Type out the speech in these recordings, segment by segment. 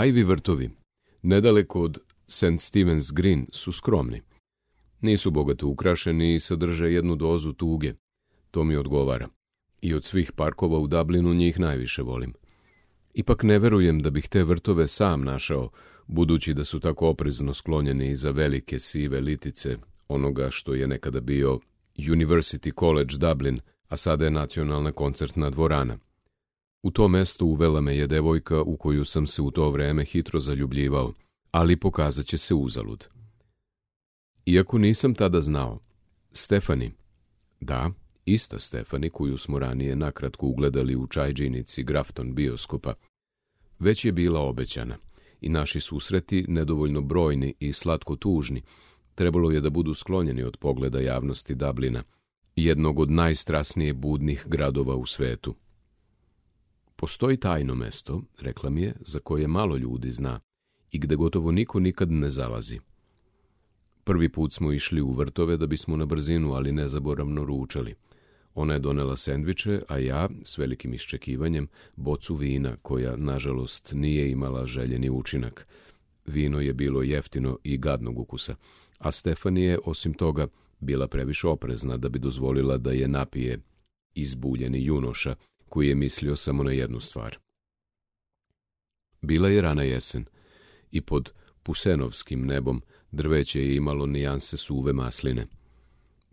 Ivy vrtovi, nedaleko od St. Stephen's Green, su skromni. Nisu bogato ukrašeni i sadrže jednu dozu tuge. To mi odgovara. I od svih parkova u Dublinu njih najviše volim. Ipak ne verujem da bih te vrtove sam našao, budući da su tako oprezno sklonjeni iza velike sive litice onoga što je nekada bio University College Dublin, a sada je nacionalna koncertna dvorana. U to mesto uvela me je devojka u koju sam se u to vreme hitro zaljubljivao, ali pokazat će se uzalud. Iako nisam tada znao, Stefani, da, ista Stefani koju smo ranije nakratko ugledali u čajđinici Grafton bioskopa, već je bila obećana i naši susreti, nedovoljno brojni i slatko tužni, trebalo je da budu sklonjeni od pogleda javnosti Dublina, jednog od najstrasnije budnih gradova u svetu. Postoji tajno mesto, rekla mi je, za koje malo ljudi zna i gde gotovo niko nikad ne zalazi. Prvi put smo išli u vrtove da bismo na brzinu, ali nezaboravno ručali. Ona je donela sendviče, a ja, s velikim iščekivanjem, bocu vina, koja, nažalost, nije imala željeni učinak. Vino je bilo jeftino i gadnog ukusa, a Stefani je, osim toga, bila previše oprezna da bi dozvolila da je napije izbuljeni junoša, koji je mislio samo na jednu stvar. Bila je rana jesen i pod pusenovskim nebom drveće je imalo nijanse suve masline,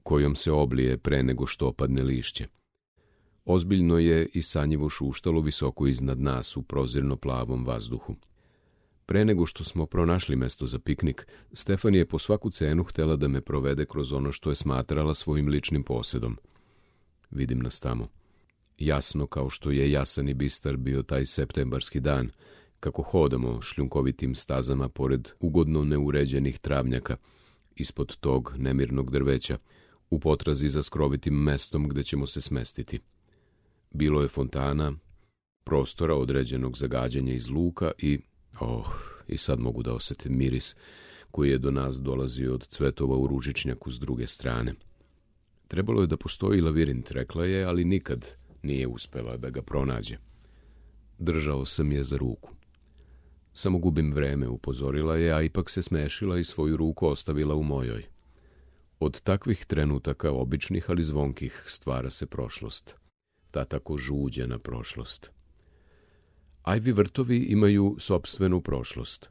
kojom se oblije pre nego što opadne lišće. Ozbiljno je i sanjivo šuštalo visoko iznad nas u prozirno plavom vazduhu. Pre nego što smo pronašli mesto za piknik, Stefani je po svaku cenu htela da me provede kroz ono što je smatrala svojim ličnim posedom. Vidim nas tamo. Jasno kao što je jasan i bistar bio taj septembarski dan, kako hodamo šljunkovitim stazama pored ugodno neuređenih travnjaka, ispod tog nemirnog drveća, u potrazi za skrovitim mestom gde ćemo se smestiti. Bilo je fontana, prostora određenog za gađanje iz luka i sad mogu da osetim miris koji je do nas dolazio od cvetova u ružičnjaku s druge strane. Trebalo je da postoji lavirint, rekla je, ali nikad nije uspela da ga pronađe. Držao sam je za ruku. Samo gubim vreme, upozorila je, a ipak se smešila i svoju ruku ostavila u mojoj. Od takvih trenutaka, običnih ali zvonkih, stvara se prošlost. Ta tako žuđena prošlost. Ivy vrtovi imaju sopstvenu prošlost.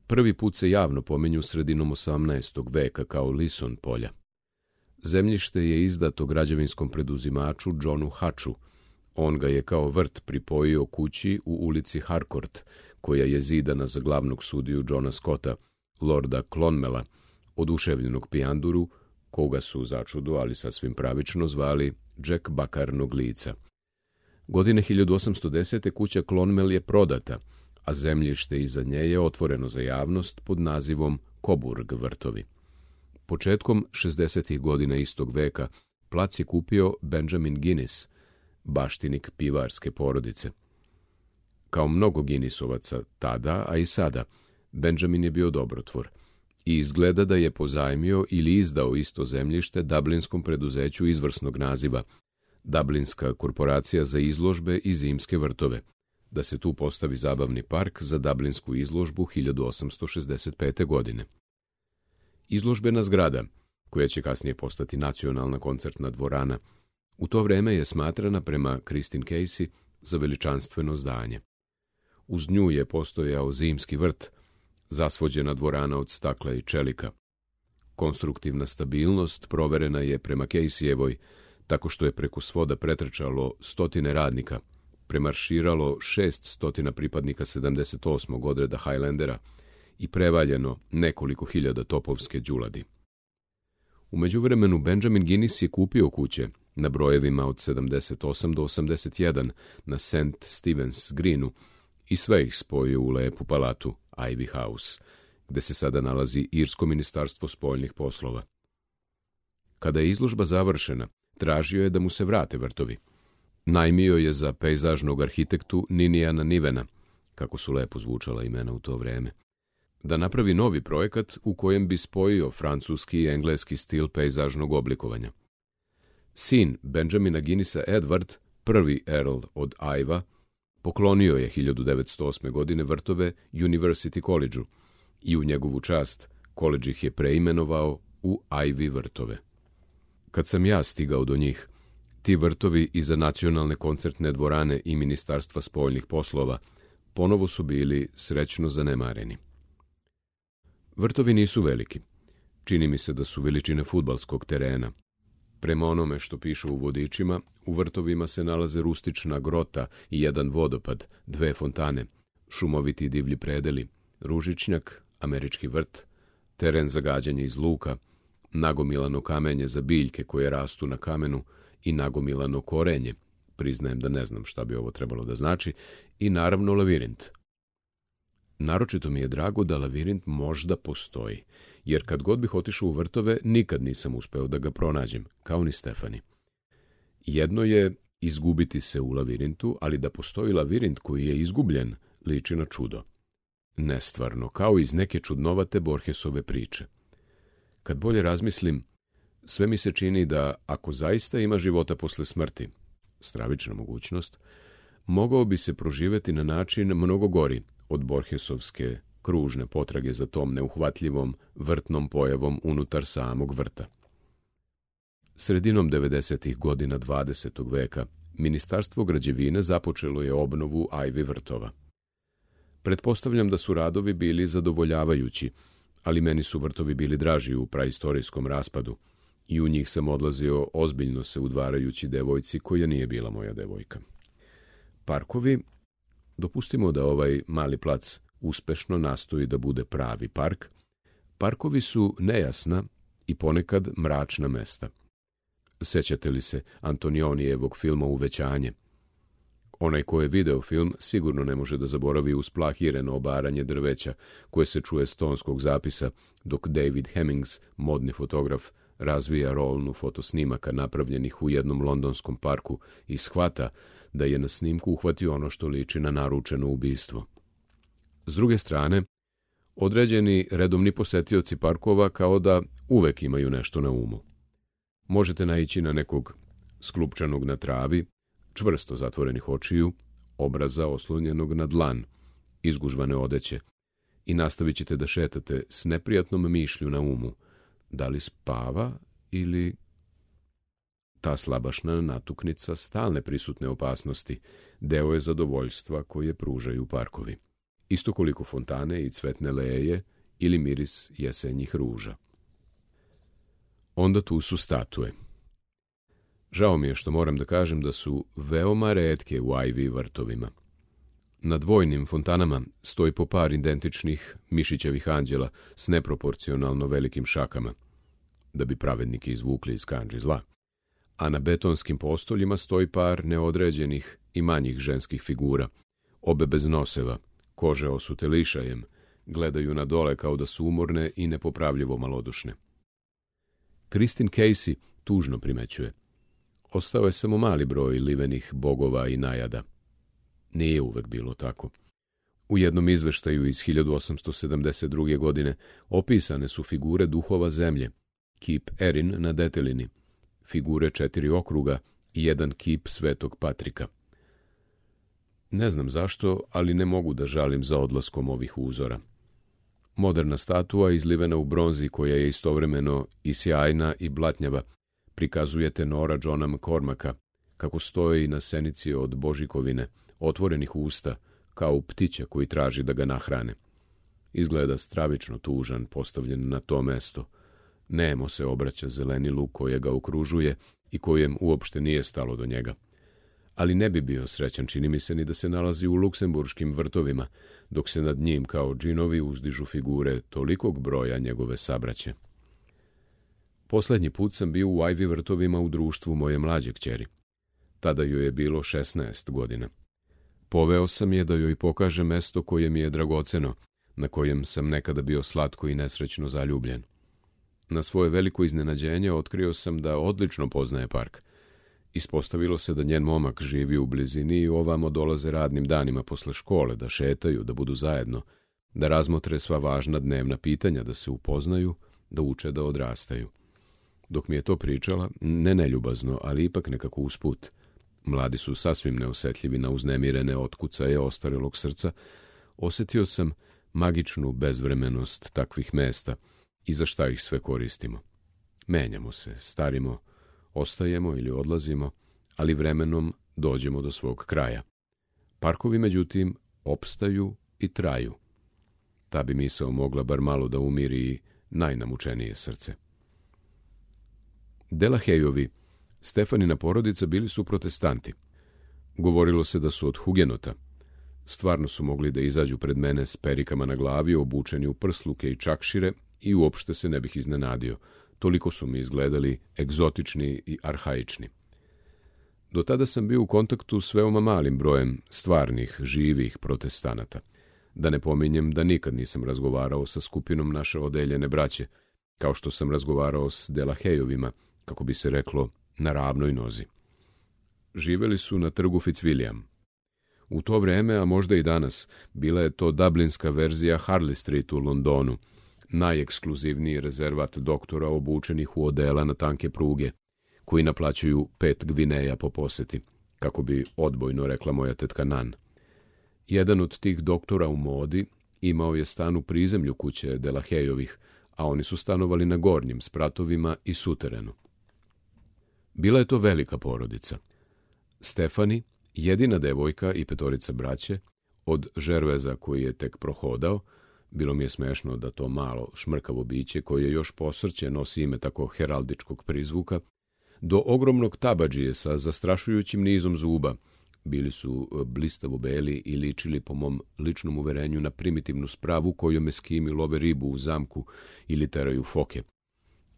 Prvi put se javno pominju sredinom 18. veka kao Lison polja. Zemljište je izdato građevinskom preduzimaču Johnu Hatchu. On ga je kao vrt pripojio kući u ulici Harcourt, koja je zidana za glavnog sudiju Johna Scotta, lorda Clonmela, oduševljenog pijanduru, koga su začudo, ali sasvim pravično, zvali Jack Bakarnog lica. Godine 1810. kuća Clonmel je prodata, a zemljište iza nje je otvoreno za javnost pod nazivom Coburg vrtovi. Početkom 60. godina istog veka plac je kupio Benjamin Guinness, baštinik pivarske porodice. Kao mnogo Guinnessovaca tada, a i sada, Benjamin je bio dobrotvor i izgleda da je pozajmio ili izdao isto zemljište dublinskom preduzeću izvrsnog naziva, Dublinska korporacija za izložbe i zimske vrtove, da se tu postavi zabavni park za dublinsku izložbu 1865. godine. Izložbena zgrada, koja će kasnije postati nacionalna koncertna dvorana, u to vreme je smatrana prema Christine Casey za veličanstveno zdanje. Uz nju je postojao zimski vrt, zasvođena dvorana od stakla i čelika. Konstruktivna stabilnost proverena je prema Caseyevoj, tako što je preko svoda pretrčalo 100 radnika, premarširalo 600 pripadnika 78. odreda Highlandera i prevaljeno nekoliko hiljada topovske đuladi. U međuvremenu Benjamin Guinness je kupio kuće na brojevima od 78 do 81 na St. Stephen's Greenu i sve ih spojio u lepu palatu Ivy House, gde se sada nalazi Irsko ministarstvo spoljnih poslova. Kada je izložba završena, tražio je da mu se vrate vrtovi. Najmio je za pejzažnog arhitektu Ninijana Nivena, kako su lepo zvučala imena u to vreme, da napravi novi projekat u kojem bi spojio francuski i engleski stil pejzažnog oblikovanja. Sin Benjamina Guinnessa Edward, prvi Earl od Iva, Poklonio je 1908. godine vrtove University College-u i u njegovu čast koledž ih je preimenovao u Ivy vrtove. Kad sam ja stigao do njih, ti vrtovi iza nacionalne koncertne dvorane i Ministarstva spoljnih poslova ponovo su bili srećno zanemareni. Vrtovi nisu veliki. Čini mi se da su veličine fudbalskog terena. Prema onome što piše u vodičima, u vrtovima se nalaze rustična grota i jedan vodopad, 2 fontane, šumoviti divlji predeli, ružičnjak, američki vrt, teren za gađanje iz luka, nagomilano kamenje za biljke koje rastu na kamenu i nagomilano korenje, priznajem da ne znam šta bi ovo trebalo da znači, i naravno lavirint. Naročito mi je drago da lavirint možda postoji, jer kad god bih otišao u vrtove, nikad nisam uspeo da ga pronađem, kao ni Stefani. Jedno je izgubiti se u lavirintu, ali da postoji lavirint koji je izgubljen, liči na čudo. Nestvarno, kao iz neke čudnovate Borgesove priče. Kad bolje razmislim, sve mi se čini da, ako zaista ima života posle smrti, stravična mogućnost, mogao bi se proživeti na način mnogo gori od Borgesovske kružne potrage za tom neuhvatljivom vrtnom pojavom unutar samog vrta. Sredinom 90. godina 20. veka Ministarstvo građevine započelo je obnovu Ivy vrtova. Pretpostavljam da su radovi bili zadovoljavajući, ali meni su vrtovi bili draži u praistorijskom raspadu i u njih sam odlazio ozbiljno se udvarajući devojci koja nije bila moja devojka. Parkovi, dopustimo da ovaj mali plac uspešno nastoji da bude pravi park, parkovi su nejasna i ponekad mračna mesta. Sećate li se Antonionijevog filma Uvećanje? Onaj ko je video film sigurno ne može da zaboravi usplahireno obaranje drveća koje se čuje s tonskog zapisa, dok David Hemmings, modni fotograf, razvija rolnu fotosnimaka napravljenih u jednom londonskom parku i shvata da je na snimku uhvatio ono što liči na naručeno ubistvo. S druge strane, određeni redovni posetioci parkova kao da uvek imaju nešto na umu. Možete naići na nekog sklupčanog na travi, čvrsto zatvorenih očiju, obraza oslonjenog na dlan, izgužvane odeće, i nastavit ćete da šetate s neprijatnom mišlju na umu, da li spava ili... Ta slabašna natuknica stalne prisutne opasnosti deo je zadovoljstva koje pružaju parkovi. Isto koliko fontane i cvetne leje ili miris jesenjih ruža. Onda tu su statue. Žao mi je što moram da kažem da su veoma retke u Ivy vrtovima. Na dvojnim fontanama stoji po par identičnih mišićevih anđela s neproporcionalno velikim šakama, da bi pravednike izvukli iz kandži zla, a na betonskim postoljima stoji par neodređenih i manjih ženskih figura, obe bez noseva, kože osute lišajem, gledaju na dole kao da su umorne i nepopravljivo malodušne. Christine Casey tužno primećuje: ostao je samo mali broj livenih bogova i najada. Nije uvek bilo tako. U jednom izveštaju iz 1872. godine opisane su figure duhova zemlje, kip Erin na detelini, figure 4 okruga i jedan kip Svetog Patrika. Ne znam zašto, ali ne mogu da žalim za odlaskom ovih uzora. Moderna statua, izlivena u bronzi koja je istovremeno i sjajna i blatnjava, prikazuje tenora Johna McCormacka, kako stoji na senici od Božikovine, otvorenih usta, kao ptića koji traži da ga nahrane. Izgleda stravično tužan, postavljen na to mesto. Nemo se obraća zelenilu koje ga okružuje i kojem uopšte nije stalo do njega. Ali ne bi bio srećan, čini mi se, ni da se nalazi u luksemburškim vrtovima, dok se nad njim kao džinovi uzdižu figure tolikog broja njegove sabraće. Poslednji put sam bio u Ivy vrtovima u društvu moje mlađe kćeri. Tada joj je bilo 16 godina. Poveo sam je da joj pokaže mesto koje mi je dragoceno, na kojem sam nekada bio slatko i nesrećno zaljubljen. Na svoje veliko iznenađenje otkrio sam da odlično poznaje park. Ispostavilo se da njen momak živi u blizini i ovamo dolaze radnim danima posle škole, da šetaju, da budu zajedno, da razmotre sva važna dnevna pitanja, da se upoznaju, da uče da odrastaju. Dok mi je to pričala, ne neljubazno, ali ipak nekako usput, mladi su sasvim neosetljivi na uznemirene otkucaje ostarelog srca, osjetio sam magičnu bezvremenost takvih mesta i za šta ih sve koristimo. Menjamo se, starimo, ostajemo ili odlazimo, ali vremenom dođemo do svog kraja. Parkovi, međutim, opstaju i traju. Ta bi misao mogla bar malo da umiri najnamučenije srce. Delahayeovi, Stefanina porodica, bili su protestanti. Govorilo se da su od hugenota. Stvarno su mogli da izađu pred mene s perikama na glavi, obučeni u prsluke i čakšire, i uopšte se ne bih iznenadio. Toliko su mi izgledali egzotični i arhaični. Do tada sam bio u kontaktu s veoma malim brojem stvarnih, živih protestanata. Da ne pominjem da nikad nisam razgovarao sa skupinom naše odeljene braće, kao što sam razgovarao s Delahayovima, kako bi se reklo, na ravnoj nozi. Živeli su na trgu Fitzwilliam. U to vreme, a možda i danas, bila je to dublinska verzija Harley Street u Londonu, najekskluzivniji rezervat doktora obučenih u odela na tanke pruge, koji naplaćuju 5 gvineja po poseti, kako bi odbojno rekla moja tetka Nan. Jedan od tih doktora u modi imao je stan u prizemlju kuće Delahayovih, a oni su stanovali na gornjim spratovima i suterenu. Bila je to velika porodica. Stefani, jedina devojka i 5 braće, od Žerveza koji je tek prohodao, bilo mi je smešno da to malo šmrkavo biće koje još posrće nosi ime tako heraldičkog prizvuka, do ogromnog tabadžije sa zastrašujućim nizom zuba. Bili su blistavo beli i ličili po mom ličnom uverenju na primitivnu spravu kojom eskimi love ribu u zamku ili teraju foke.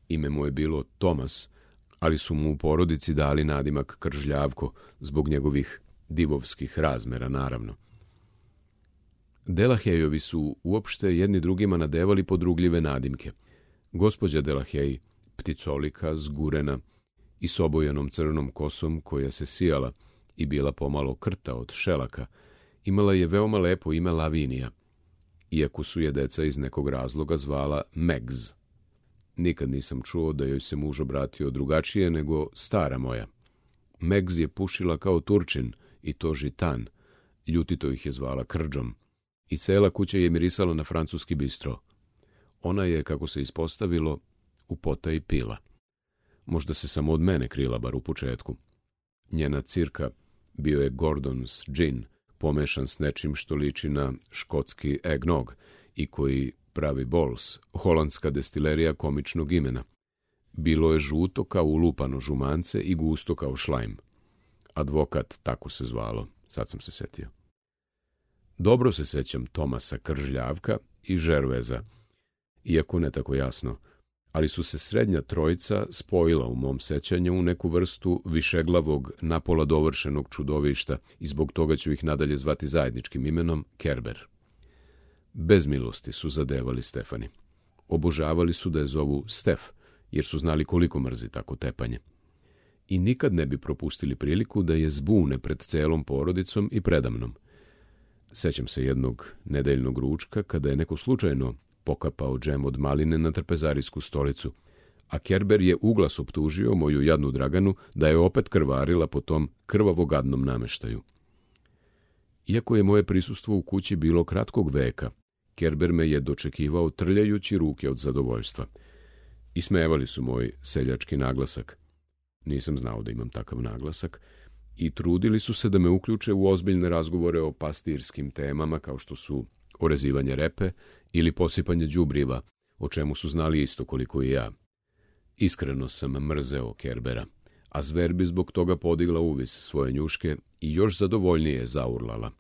Ime mu je bilo Tomas, ali su mu u porodici dali nadimak Kržljavko zbog njegovih divovskih razmera, naravno. Delahayeovi su uopšte jedni drugima nadevali podrugljive nadimke. Gospođa Delahaye, pticolika, zgurena i s obojenom crnom kosom koja se sijala i bila pomalo krta od šelaka, imala je veoma lepo ime Lavinija, iako su je deca iz nekog razloga zvala Megs. Nikad nisam čuo da joj se muž obratio drugačije nego stara moja. Megs je pušila kao Turčin, i to žitan, ljutito ih je zvala Krđom, i cela kuća je mirisala na francuski bistro. Ona je, kako se ispostavilo, u potaji pila. Možda se samo od mene krila, bar u početku. Njena cirka bio je Gordon's gin, pomešan s nečim što liči na škotski eggnog i koji pravi Bols, holandska destilerija komičnog imena. Bilo je žuto kao ulupano žumance i gusto kao šlajm. Advokat, tako se zvalo, sad sam se setio. Dobro se sećam Tomasa Kržljavka i Žerveza, iako ne tako jasno, ali su se srednja trojica spojila u mom sećanju u neku vrstu višeglavog, napola dovršenog čudovišta i zbog toga ću ih nadalje zvati zajedničkim imenom Kerber. Bez milosti su zadevali Stefani. Obožavali su da je zovu Stef, jer su znali koliko mrzi tako tepanje. I nikad ne bi propustili priliku da je zbune pred celom porodicom i predamnom. Sećam se jednog nedeljnog ručka kada je neko slučajno pokapao džem od maline na trpezarijsku stolicu, a Kerber je uglas optužio moju jadnu Draganu da je opet krvarila po tom krvavogadnom nameštaju. Iako je moje prisustvo u kući bilo kratkog veka, Kerber me je dočekivao trljajući ruke od zadovoljstva. Ismevali su moj seljački naglasak. Nisam znao da imam takav naglasak, i trudili su se da me uključe u ozbiljne razgovore o pastirskim temama kao što su orezivanje repe ili posipanje đubriva, o čemu su znali isto koliko i ja. Iskreno sam mrzeo Kerbera, a zver bi zbog toga podigla uvis svoje njuške i još zadovoljnije zaurlala.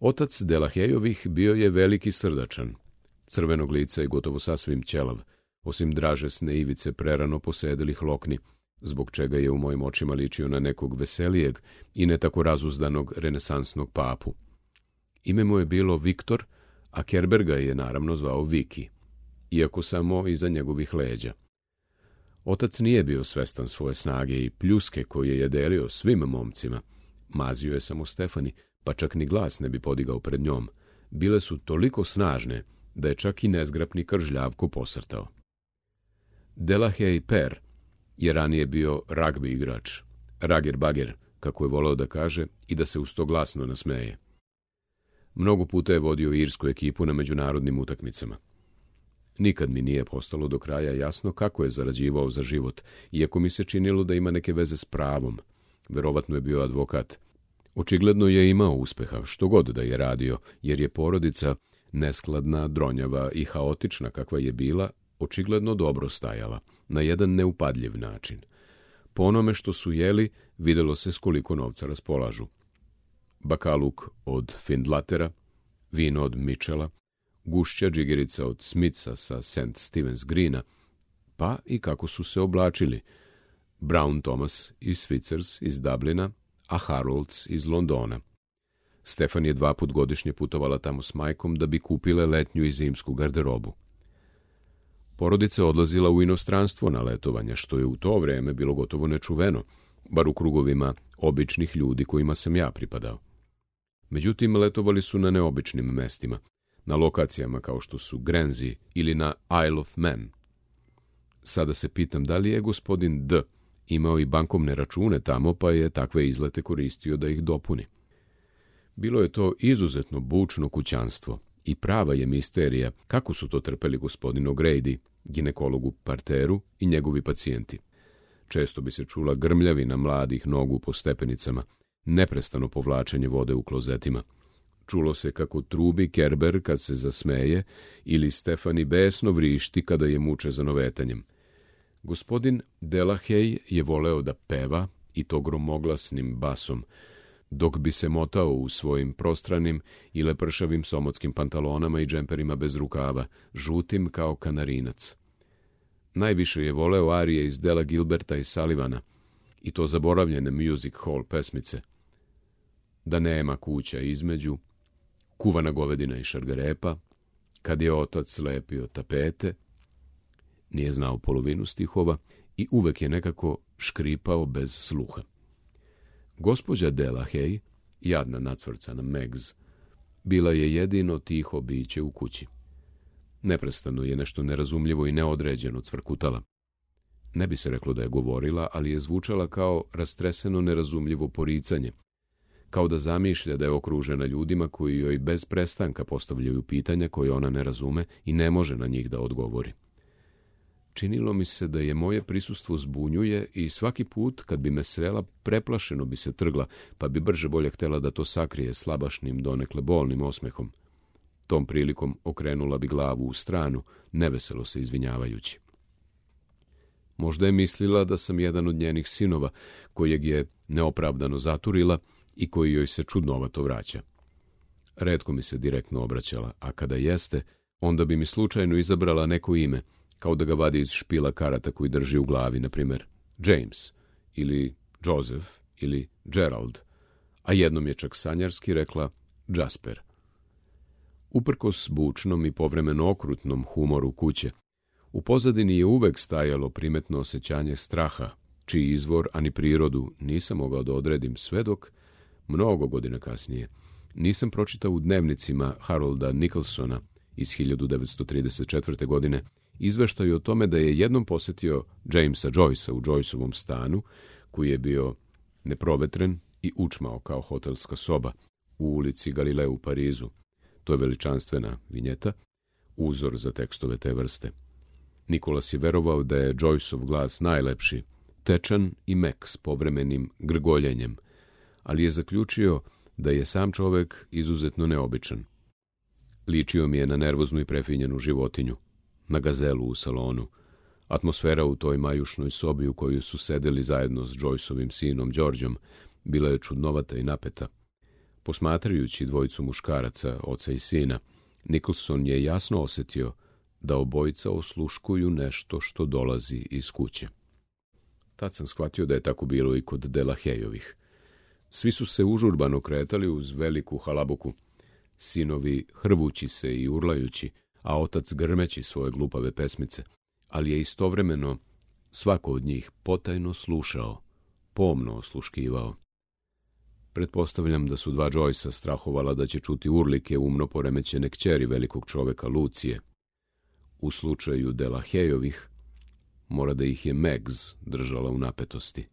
Otac Delahayovih bio je veliki srdačan, crvenog lica i gotovo sasvim ćelav, osim dražesne ivice prerano posedelih lokni, zbog čega je u mojim očima ličio na nekog veselijeg i ne tako razuzdanog renesansnog papu. Ime mu je bilo Viktor, a Kerber ga je naravno zvao Viki, iako samo iza njegovih leđa. Otac nije bio svestan svoje snage i pljuske koje je delio svim momcima. Mazio je samo Stefani, pa čak ni glas ne bi podigao pred njom. Bile su toliko snažne da je čak i nezgrapni Kržljavko posrtao. Delahaye per je ranije bio ragbi igrač, rager bager, kako je voleo da kaže, i da se uz to glasno nasmeje. Mnogo puta je vodio irsku ekipu na međunarodnim utakmicama. Nikad mi nije postalo do kraja jasno kako je zarađivao za život, iako mi se činilo da ima neke veze s pravom. Verovatno je bio advokat. Očigledno je imao uspeha, što god da je radio, jer je porodica, neskladna, dronjava i haotična kakva je bila, očigledno dobro stajala, na jedan neupadljiv način. Po onome što su jeli, videlo se s koliko novca raspolažu. Bakaluk od Findlatera, vino od Mitchella, gušća džigerica od Smitha sa St. Stephen's Greena, pa i kako su se oblačili. Brown Thomas iz Switzers iz Dublina, a Harolds iz Londona. Stefan je 2 put godišnje putovala tamo s majkom da bi kupile letnju i zimsku garderobu. Porodica odlazila u inostranstvo na letovanje, što je u to vreme bilo gotovo nečuveno, bar u krugovima običnih ljudi kojima sam ja pripadao. Međutim, letovali su na neobičnim mestima, na lokacijama kao što su Guernsey ili na Isle of Man. Sada se pitam da li je gospodin D. imao i bankovne račune tamo, pa je takve izlete koristio da ih dopuni. Bilo je to izuzetno bučno kućanstvo i prava je misterija kako su to trpeli gospodin O'Grady, ginekolog u parteru i njegovi pacijenti. Često bi se čula grmljavina mladih nogu po stepenicama, neprestano povlačenje vode u klozetima. Čulo se kako trubi Kerber kad se zasmeje ili Stefani besno vrišti kada je muče za novetanjem. Gospodin Delahey je voleo da peva i to gromoglasnim basom, dok bi se motao u svojim prostranim i lepršavim somotskim pantalonama i džemperima bez rukava, žutim kao kanarinac. Najviše je voleo arije iz dela Gilberta i Sullivana, i to zaboravljene music hall pesmice. Da nema kuća između, kuvana govedina i šargarepa, kad je otac slepio tapete, nije znao polovinu stihova i uvek je nekako škripao bez sluha. Gospođa Delahey, jadna nacvrcana Megs, bila je jedino tiho biće u kući. Neprestano je nešto nerazumljivo i neodređeno cvrkutala. Ne bi se reklo da je govorila, ali je zvučala kao rastreseno nerazumljivo poricanje, kao da zamišlja da je okružena ljudima koji joj bez prestanka postavljaju pitanja koje ona ne razume i ne može na njih da odgovori. Činilo mi se da je moje prisustvo zbunjuje i svaki put kad bi me srela preplašeno bi se trgla, pa bi brže bolje htela da to sakrije slabašnim, donekle bolnim osmehom. Tom prilikom okrenula bi glavu u stranu, neveselo se izvinjavajući. Možda je mislila da sam jedan od njenih sinova, kojeg je neopravdano zaturila i koji joj se čudnovato vraća. Retko mi se direktno obraćala, a kada jeste, onda bi mi slučajno izabrala neko ime, kao da ga vadi iz špila karata koji drži u glavi, na primjer James, ili Joseph, ili Gerald, a jednom je čak sanjarski rekla Jasper. Uprkos bučnom i povremeno okrutnom humoru kuće, u pozadini je uvek stajalo primetno osjećanje straha, čiji izvor, ani prirodu, nisam mogao da odredim sve dok, mnogo godina kasnije, nisam pročitao u dnevnicima Harolda Nicholsona iz 1934. godine izveštaju o tome da je jednom posjetio Jamesa Joycea u Joyceovom stanu, koji je bio neprovetren i učmao kao hotelska soba u ulici Galileu u Parizu. To je veličanstvena vinjeta, uzor za tekstove te vrste. Nikolas je verovao da je Joyceov glas najlepši, tečan i mek s povremenim grgoljenjem, ali je zaključio da je sam čovek izuzetno neobičan. Ličio mi je na nervoznu i prefinjenu životinju, na gazelu u salonu. Atmosfera u toj majušnoj sobi u kojoj su sedeli zajedno s Joyceovim sinom Đorđom bila je čudnovata i napeta. Posmatrajući dvojicu muškaraca, oca i sina, Nicholson je jasno osjetio da obojica osluškuju nešto što dolazi iz kuće. Tad sam shvatio da je tako bilo i kod Delaheyovih. Svi su se užurbano kretali uz veliku halabuku, sinovi hrvući se i urlajući, a otac grmeći svoje glupave pesmice, ali je istovremeno svako od njih potajno slušao, pomno osluškivao. Pretpostavljam da su dva Joycea strahovala da će čuti urlike umno poremećene kćeri velikog čoveka Lucije. U slučaju Delaheyovih mora da ih je Megs držala u napetosti.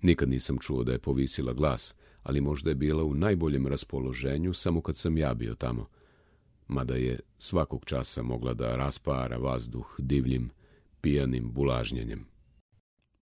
Nikad nisam čuo da je povisila glas, ali možda je bila u najboljem raspoloženju samo kad sam ja bio tamo, mada je svakog časa mogla da raspara vazduh divljim, pijanim bulažnjenjem.